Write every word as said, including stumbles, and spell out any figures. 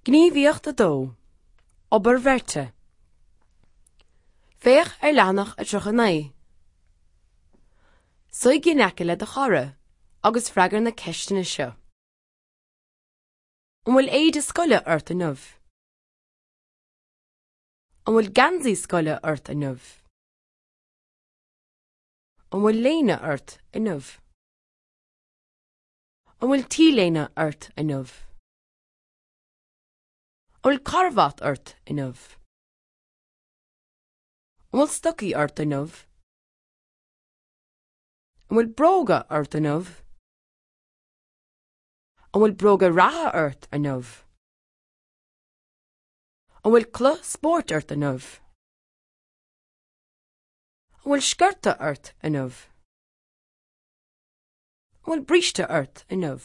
Gníomhaíocht a dó. Obair bheirte. Féach ar leathanach a tríocha naoi. Suigh in aice le do chara agus freagair na ceisteanna seo. An bhfuil éide scoile ort inniu? An bhfuil geansaí scoile ort inniu? An bhfuil léine ort inniu? An bhfuil t-léine ort inniu? An bhfuil carbhat ort inniu? An bhfuil stocaí ort inniu? An bhfuil bróga ort inniu? An bhfuil bróga reatha ort inniu? An bhfuil culaith spóirt ort inniu? An bhfuil sciorta ort inniu? An bhfuil bríste ort inniu?